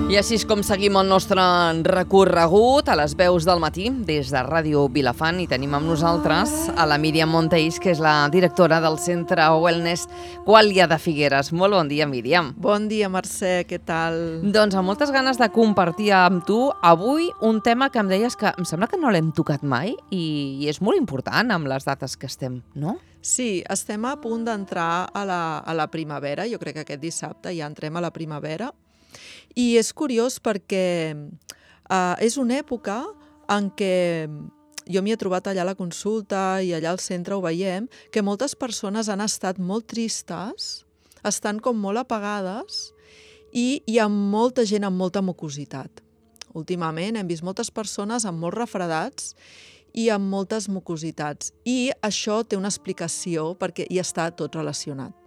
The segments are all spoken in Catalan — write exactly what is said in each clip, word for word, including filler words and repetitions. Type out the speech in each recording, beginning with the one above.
I així és com seguim el nostre recorregut a les veus del matí des de Ràdio Vilafant i tenim amb nosaltres a la Míriam Monteis, que és la directora del Centre Wellness Quàlia de Figueres. Molt bon dia, Míriam. Bon dia, Mercè, què tal? Doncs amb moltes ganes de compartir amb tu avui un tema que em deies que em sembla que no l'hem tocat mai i, i és molt important amb les dates que estem, no? Sí, estem a punt d'entrar a, la, a la primavera. Jo crec que aquest dissabte ja entrem a la primavera. I és curiós perquè uh, és una època en què jo m'hi he trobat allà a la consulta i allà al centre ho veiem, que moltes persones han estat molt tristes, estan com molt apagades i hi ha molta gent amb molta mucositat. Últimament hem vist moltes persones amb molts refredats i amb moltes mucositats. I això té una explicació perquè hi està tot relacionat.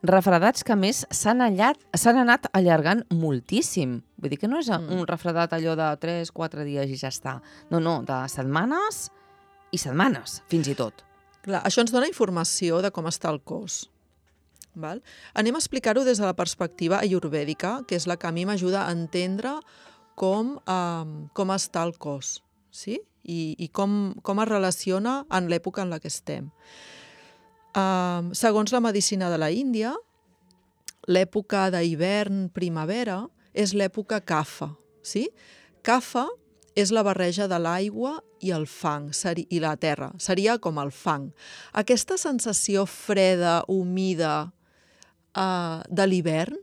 Refredats que, a més, s'han anat allargant moltíssim. Vull dir que no és un refredat allò de tres quatre dies i ja està. No, no, de setmanes i setmanes, fins i tot. Clar, això ens dona informació de com està el cos. Val? Anem a explicar-ho des de la perspectiva ayurvèdica, que és la que a mi m'ajuda a entendre com, eh, com està el cos, sí? I, i com, com es relaciona en l'època en la que estem. Uh, segons la medicina de la Índia, l'època d'hivern-primavera és l'època Kapha. Sí? Kapha és la barreja de l'aigua i el fang, i la terra. Seria com el fang. Aquesta sensació freda, humida uh, de l'hivern,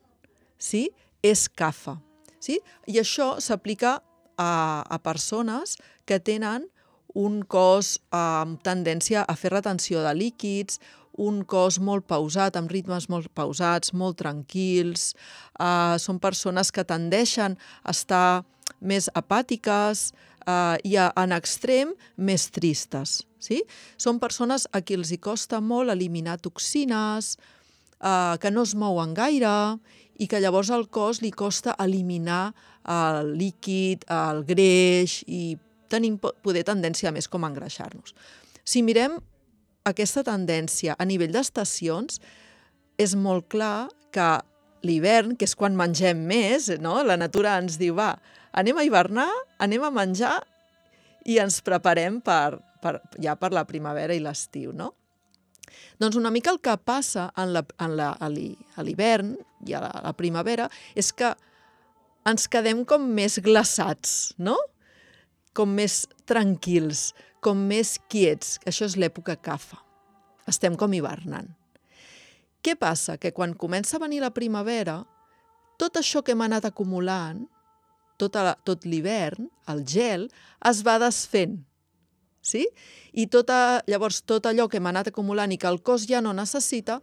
sí? És Kapha. Sí? I això s'aplica a, a persones que tenen un cos amb tendència a fer retenció de líquids, un cos molt pausat, amb ritmes molt pausats, molt tranquils. Uh, són persones que tendeixen a estar més apàtiques uh, i a, en extrem més tristes. Sí? Són persones a qui els hi costa molt eliminar toxines, uh, que no es mouen gaire i que llavors al cos li costa eliminar el líquid, el greix i tenim poder tendència més com a engreixar-nos. Si mirem aquesta tendència a nivell d'estacions, és molt clar que l'hivern, que és quan mengem més, no? La natura ens diu, va, anem a hivernar, anem a menjar i ens preparem per, per, ja per la primavera i l'estiu, no? Doncs una mica el que passa en la, en la, a l'hivern i a la, a la primavera és que ens quedem com més glaçats, no? Com més tranquils, com més quiets. Això és l'època Kapha. Estem com hivernant. Què passa? Que quan comença a venir la primavera, tot això que hem anat acumulant, tot, la, tot l'hivern, el gel, es va desfent. Sí? I tota, llavors tot allò que hem anat acumulant i que el cos ja no necessita,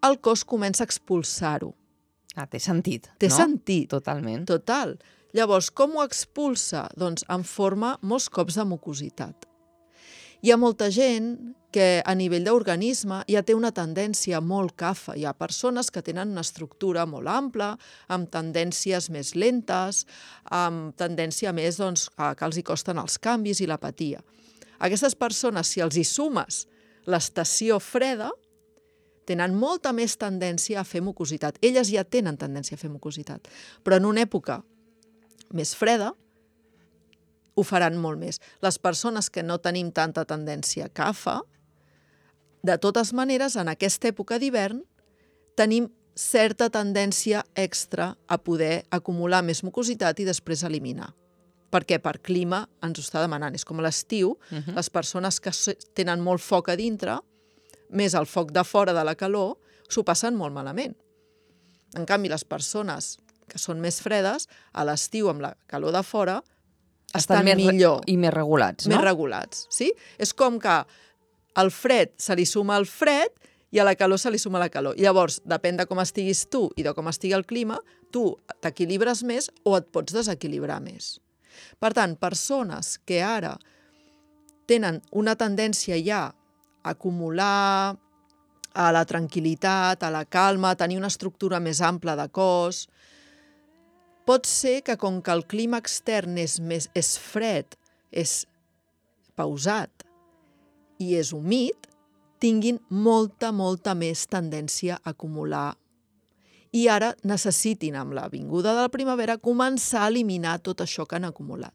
el cos comença a expulsar-ho. Ah, té sentit, té no? Té sentit. Totalment. Total. Llavors, com ho expulsa? Doncs en forma molts cops de mucositat. Hi ha molta gent que a nivell d'organisme ja té una tendència molt Kapha. Hi ha persones que tenen una estructura molt ampla, amb tendències més lentes, amb tendència més doncs, a que els hi costen els canvis i l'apatia. Aquestes persones, si els hi sumes l'estació freda, tenen molta més tendència a fer mucositat. Elles ja tenen tendència a fer mucositat, però en una època més freda, ho faran molt més. Les persones que no tenim tanta tendència Kapha, de totes maneres, en aquesta època d'hivern, tenim certa tendència extra a poder acumular més mucositat i després eliminar. Perquè per clima ens ho està demanant. És com a l'estiu, uh-huh. Les persones que tenen molt foc a dintre, més el foc de fora de la calor, s'ho passen molt malament. En canvi, les persones que són més fredes, a l'estiu amb la calor de fora, estan, estan millor. I més regulats, no? Més regulats, sí? És com que al fred se li suma el fred i a la calor se li suma la calor. I llavors, depèn de com estiguis tu i de com estigui el clima, tu t'equilibres més o et pots desequilibrar més. Per tant, persones que ara tenen una tendència ja a acumular a la tranquil·litat, a la calma, a tenir una estructura més ampla de cos, pot ser que com que el clima extern és, més, és fred, és pausat i és humit, tinguin molta, molta més tendència a acumular i ara necessitin, amb la vinguda de la primavera, començar a eliminar tot això que han acumulat.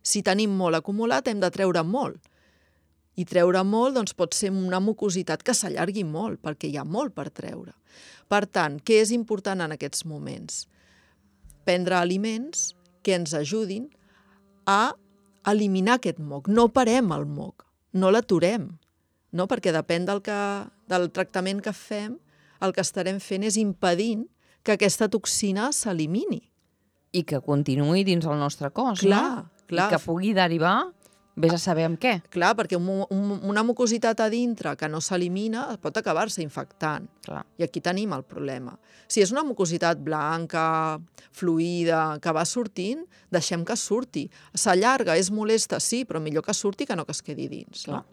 Si tenim molt acumulat, hem de treure molt. I treure molt doncs, pot ser una mucositat que s'allargui molt, perquè hi ha molt per treure. Per tant, què és important en aquests moments? Prendre aliments que ens ajudin a eliminar aquest moc. No parem el moc, no l'aturem, no? Perquè depèn del, que, del tractament que fem, el que estarem fent és impedint que aquesta toxina s'elimini. I que continuï dins el nostre cos, clar, no? Clar. I que pugui derivar, vés a saber amb què. Clar, perquè un, un, una mucositat a dintre que no s'elimina pot acabar-se infectant. Clar. I aquí tenim el problema. Si és una mucositat blanca, fluida, que va sortint, deixem que surti. S'allarga, és molesta, sí, però millor que surti que no que es quedi dins. No?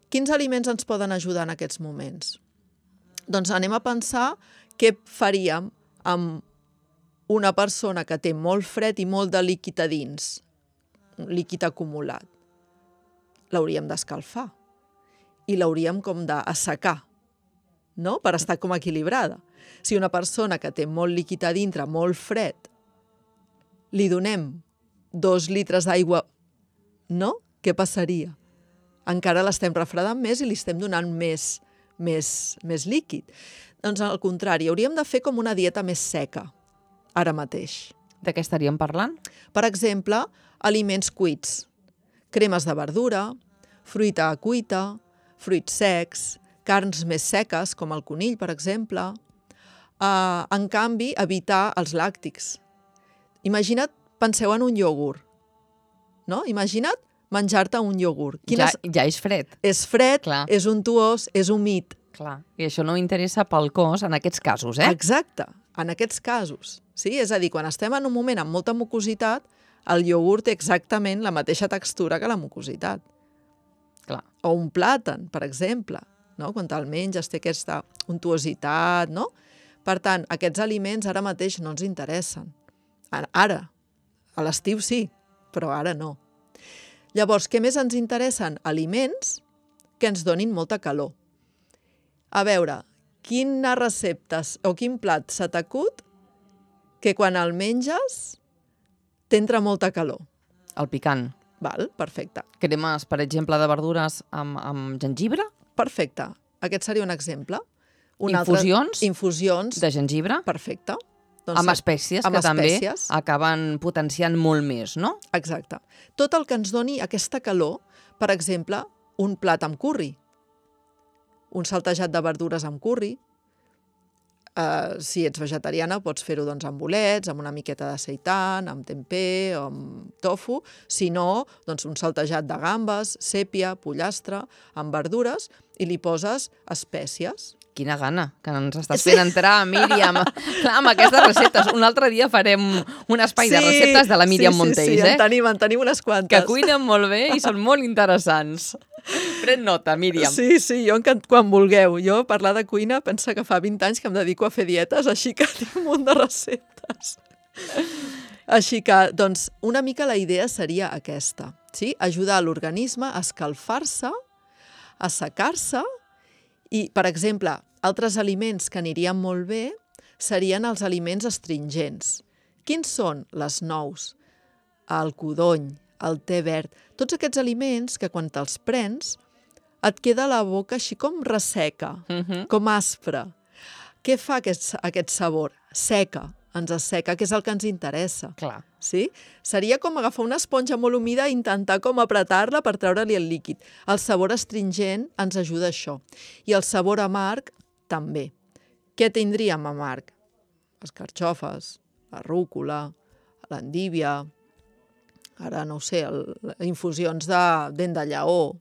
Quins aliments ens poden ajudar en aquests moments? Doncs anem a pensar què faríem amb una persona que té molt fred i molt de líquid a dins, un líquid acumulat. L'hauríem d'escalfar i l'hauríem com d'assecar, no? Per estar com equilibrada. Si una persona que té molt líquid a dintre, molt fred, li donem dos litres d'aigua, no? Què passaria? Encara l'estem refredant més i li estem donant més, més, més líquid. Doncs al contrari, hauríem de fer com una dieta més seca, ara mateix. De què estaríem parlant? Per exemple, aliments cuits, cremes de verdura, fruita cuita, fruits secs, carns més seques, com el conill, per exemple. Uh, en canvi, evitar els làctics. Imagina't, penseu en un iogurt, no? Imagina't menjar-te un iogurt. Ja, ja és fred. És fred, Clar. És untuós, és humit. Clar. I això no interessa pel cos en aquests casos, eh? Exacte, en aquests casos. Sí? És a dir, quan estem en un moment amb molta mucositat, el iogurt té exactament la mateixa textura que la mucositat. Clar. O un plàtan, per exemple, no? Quan te'l menges té aquesta untuositat, no? Per tant, aquests aliments ara mateix no ens interessen. Ara, a l'estiu sí, però ara no. Llavors, què més ens interessen? Aliments que ens donin molta calor. A veure, quines receptes o quin plat se t'acut que quan el menges t'entra molta calor? El picant. Val, perfecte. Cremes, per exemple, de verdures amb, amb gengibre? Perfecte. Aquest seria un exemple. Un Infusions? Altre... Infusions. De gengibre? Perfecte. Doncs amb espècies, amb que espècies. també acaben potenciant molt més, no? Exacte. Tot el que ens doni aquesta calor, per exemple, un plat amb curri, un saltejat de verdures amb curri. Uh, si ets vegetariana pots fer-ho doncs, amb bolets, amb una miqueta de seitan, amb tempeh o amb tofu. Si no, doncs, un saltejat de gambes, sèpia, pollastre, amb verdures i li poses espècies. Quina gana que ens estàs fent entrar, Míriam. Clar, amb aquestes receptes. Un altre dia farem un espai sí, de receptes de la Míriam sí, Monteis, sí, sí, eh? en tenim, en tenim unes quantes. Que cuinen molt bé i són molt interessants. Pren nota, Míriam. Sí, sí, jo quan vulgueu. Jo parlar de cuina pensa que fa vint anys que em dedico a fer dietes, així que tinc un munt de receptes. Així que, doncs, una mica la idea seria aquesta, sí? Ajudar l'organisme a escalfar-se, a assecar-se i, per exemple, altres aliments que anirien molt bé serien els aliments astringents. Quins són? Les nous, el codony, el te verd, tots aquests aliments que quan te'ls prens et queda la boca així com resseca, Uh-huh. com aspra. Què fa aquest, aquest sabor? Seca, ens asseca, que és el que ens interessa. Clar. Sí? Seria com agafar una esponja molt humida i intentar com apretar-la per treure-li el líquid. El sabor astringent ens ajuda a això. I el sabor amarg també. Què tindríem amarg? Les carxofes, la rúcula, l'endívia, ara no ho sé, el, infusions de dent de lleó.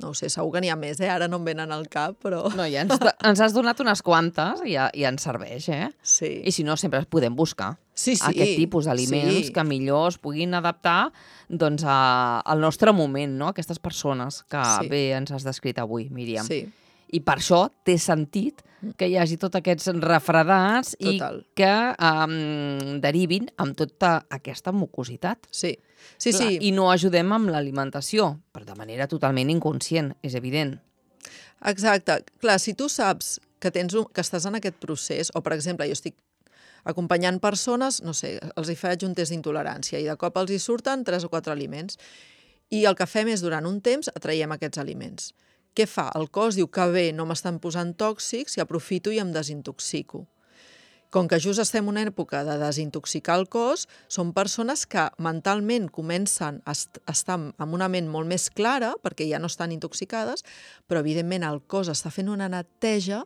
No ho sé, segur que n'hi ha més, eh? Ara no em venen al cap, però... No, ja ens, ens has donat unes quantes i ja, ja ens serveix, eh? Sí. I si no, sempre podem buscar Sí, sí. aquest tipus d'aliments Sí. que millor es puguin adaptar doncs, a, al nostre moment, no? Aquestes persones que Sí. bé ens has descrit avui, Míriam. Sí. I per això té sentit que hi hagi tots aquests refredats Total. i que um, derivin amb tota aquesta mucositat. Sí, sí, Clar, sí. I no ajudem amb l'alimentació, però de manera totalment inconscient, és evident. Exacte. Clar, si tu saps que, tens un, que estàs en aquest procés, o per exemple, jo estic acompanyant persones, no sé, els hi faig un test d'intolerància i de cop els hi surten tres o quatre aliments. I el que fem és, durant un temps, atraiem aquests aliments. Què fa? El cos diu que bé, no m'estan posant tòxics i aprofito i em desintoxico. Com que just estem en una època de desintoxicar el cos, són persones que mentalment comencen a estar amb una ment molt més clara, perquè ja no estan intoxicades, però evidentment el cos està fent una neteja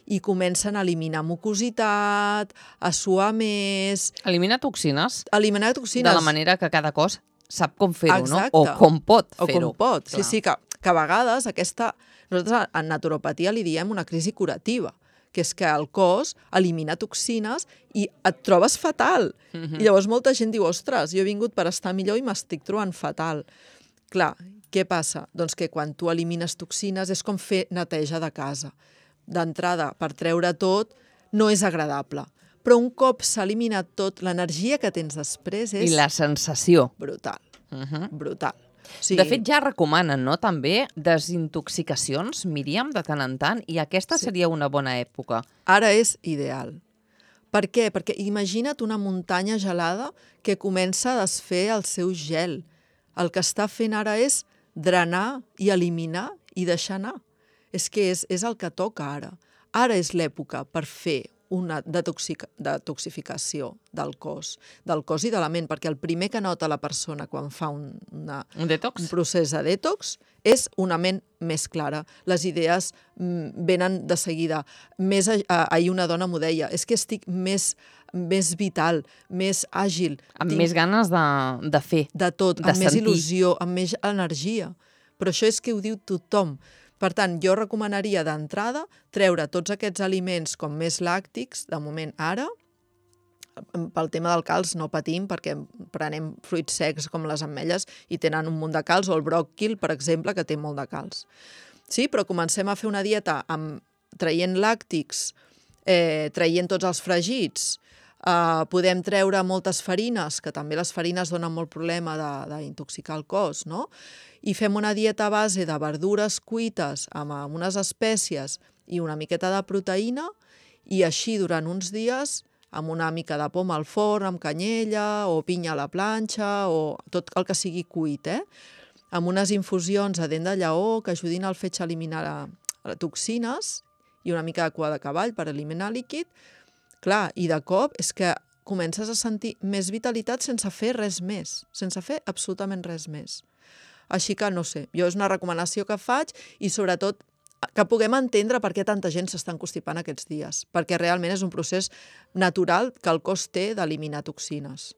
i comencen a eliminar mucositat, a suar més... Eliminar toxines. Eliminar toxines. De la manera que cada cos sap com fer-ho, no? Exacte. O com pot fer-ho. O com pot. Clar. Sí, sí, que, que a vegades aquesta... Nosaltres en naturopatia li diem una crisi curativa, que és que el cos elimina toxines i et trobes fatal. Mm-hmm. I llavors molta gent diu, ostres, jo he vingut per estar millor i m'estic trobant fatal. Clar, què passa? Doncs que quan tu elimines toxines és com fer neteja de casa. D'entrada, per treure tot, no és agradable. Però un cop s'ha eliminat tot, l'energia que tens després és... I la sensació. Brutal. Uh-huh. Brutal. Sí. De fet, ja recomanen, no?, també desintoxicacions, Míriam, de tant en tant, i aquesta sí. seria una bona època. Ara és ideal. Per què? Perquè imagina't una muntanya gelada que comença a desfer el seu gel. El que està fent ara és drenar i eliminar i deixar anar. És que és, és el que toca ara. Ara és l'època per fer una detoxic detoxificació del cos, del cos i de la ment, perquè el primer que nota la persona quan fa un, una, un, detox? un procés de detox és una ment més clara. Les idees mm, venen de seguida. Més, eh, ahir una dona m'ho deia, és que estic més, més vital, més àgil. Amb tinc... més ganes de, de fer. De tot, de amb sentir. Més il·lusió, amb més energia. Però això és que ho diu tothom. Per tant, jo recomanaria d'entrada treure tots aquests aliments com més làctics, de moment ara, pel tema del calç no patim perquè prenem fruits secs com les ametlles i tenen un munt de calç, o el bròquil, per exemple, que té molt de calç. Sí, però comencem a fer una dieta amb, traient làctics, eh, traient tots els fregits, Uh, podem treure moltes farines, que també les farines donen molt problema d'intoxicar el cos, no? I fem una dieta a base de verdures cuites amb, amb unes espècies i una miqueta de proteïna, i així durant uns dies amb una mica de poma al forn, amb canyella o pinya a la planxa o tot el que sigui cuit, eh? Amb unes infusions a dent de lleó que ajudin al fetge a eliminar les toxines i una mica de cua de cavall per eliminar líquid. Clar, i de cop és que comences a sentir més vitalitat sense fer res més, sense fer absolutament res més. Així que, no sé, jo és una recomanació que faig i sobretot que puguem entendre per què tanta gent s'està constipant aquests dies, perquè realment és un procés natural que el cos té d'eliminar toxines.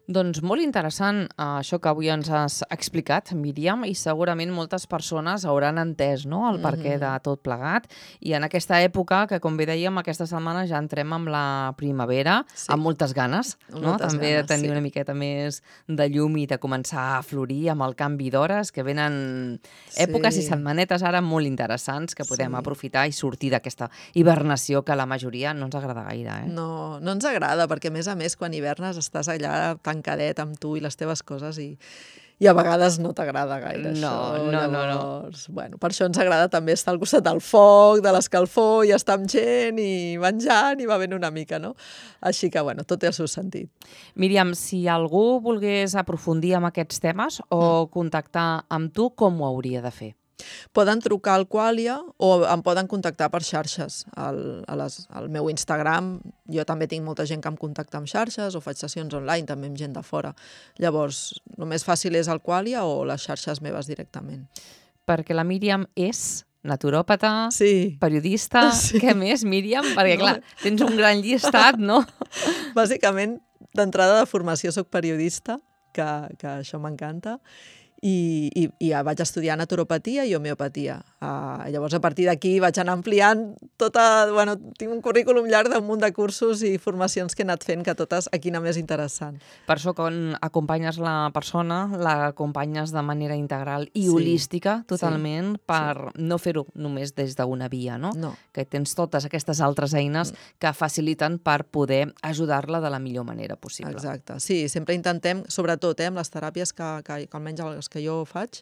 Doncs molt interessant eh, això que avui ens has explicat, Míriam, i segurament moltes persones hauran entès, no?, el perquè de tot plegat. I en aquesta època, que com bé dèiem, aquesta setmana ja entrem amb la primavera, sí. amb moltes ganes, no? Moltes també ganes, de tenir sí. una miqueta més de llum i de començar a florir amb el canvi d'hores, que venen èpoques Sí. i setmanetes ara molt interessants que podem Sí. aprofitar i sortir d'aquesta hibernació que a la majoria no ens agrada gaire. Eh? No, no ens agrada, perquè a més a més quan hivernes estàs allà tancadet amb tu i les teves coses i, i a vegades no t'agrada gaire No, això. no, no, no. Llavors, bueno, per això ens agrada també estar al costat del foc, de l'escalfor, i estar amb gent i menjant i bevent una mica, no? Així que, bueno, tot té el seu sentit. Míriam, si algú volgués aprofundir en aquests temes o contactar amb tu, com ho hauria de fer? Poden trucar al Qualia o em poden contactar per xarxes. Al, a les, al meu Instagram, jo també tinc molta gent que em contacta amb xarxes o faig sessions online també amb gent de fora. Llavors, el més fàcil és el Qualia o les xarxes meves directament. Perquè la Míriam és naturòpata, Sí. periodista, Sí. què més, Míriam? Perquè, No. clar, tens un gran llistat, no? Bàsicament, d'entrada de formació soc periodista, que, que això m'encanta, i, i, i vaig estudiar naturopatia i homeopatia. Uh, llavors, a partir d'aquí vaig anar ampliant tota... Bueno, tinc un currículum llarg d'un munt de cursos i formacions que he anat fent, que totes aquí anar més interessant. Per això, quan acompanyes la persona, l'acompanyes de manera integral i Sí. holística, totalment, Sí. per no fer-ho només des d'una via, no? No. Que tens totes aquestes altres eines que faciliten per poder ajudar-la de la millor manera possible. Exacte. Sí, sempre intentem, sobretot eh, amb les teràpies que, que, que almenys les que jo faig,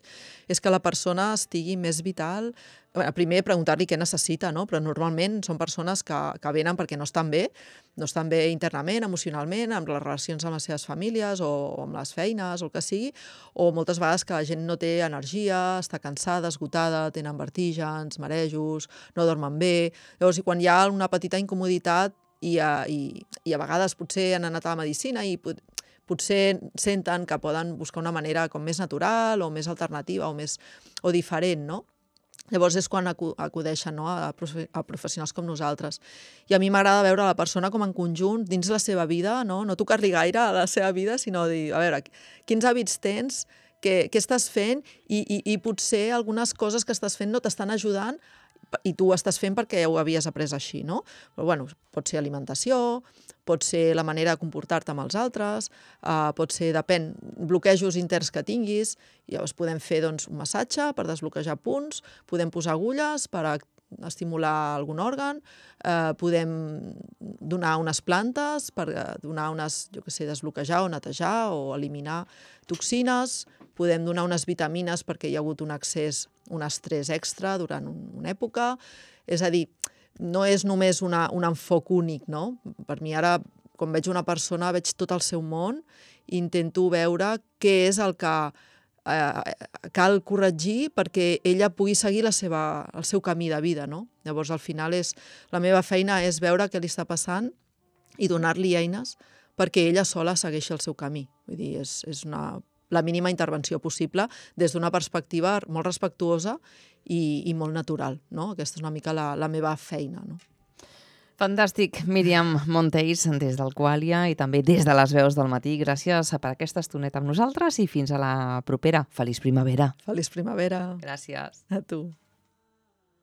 és que la persona estigui més vital, primer preguntar-li què necessita, no? Però normalment són persones que, que venen perquè no estan bé, no estan bé internament, emocionalment, amb les relacions amb les seves famílies o amb les feines o el que sigui, o moltes vegades que la gent no té energia, està cansada, esgotada, tenen vertígens, marejos, no dormen bé. Llavors, quan hi ha una petita incomoditat i a, i, i a vegades potser han anat a la medicina i pot, potser senten que poden buscar una manera com més natural o més alternativa o, més, o diferent, no? Llavors és quan acudeixen, no? a, a professionals com nosaltres. I a mi m'agrada veure la persona com en conjunt, dins la seva vida, no, no tocar-li gaire a la seva vida, sinó dir, a veure, quins hàbits tens, què, què estàs fent i, i, i potser algunes coses que estàs fent no t'estan ajudant i tu ho estàs fent perquè ho havies après així, no? Però, bueno, pot ser alimentació, pot ser la manera de comportar-te amb els altres, uh, pot ser, depèn, bloquejos interns que tinguis, i llavors podem fer doncs, un massatge per desbloquejar punts, podem posar agulles per estimular algun òrgan, eh, podem donar unes plantes per donar unes, jo què sé, desbloquejar o netejar o eliminar toxines, podem donar unes vitamines perquè hi ha hagut un excés, un estrès extra durant una època. És a dir, no és només una, un enfoc únic, no? Per mi ara, quan veig una persona, veig tot el seu món i intento veure què és el que eh, cal corregir perquè ella pugui seguir la seva, el seu camí de vida, no? Llavors, al final, és, la meva feina és veure què li està passant i donar-li eines perquè ella sola segueixi el seu camí. Vull dir, és, és una, la mínima intervenció possible des d'una perspectiva molt respectuosa i, i molt natural, no? Aquesta és una mica la, la meva feina, no? Fantàstic, Míriam Monteys, des del Qualia i també des de les veus del matí. Gràcies per aquesta estoneta amb nosaltres i fins a la propera. Feliç primavera. Feliç primavera. Gràcies. A tu.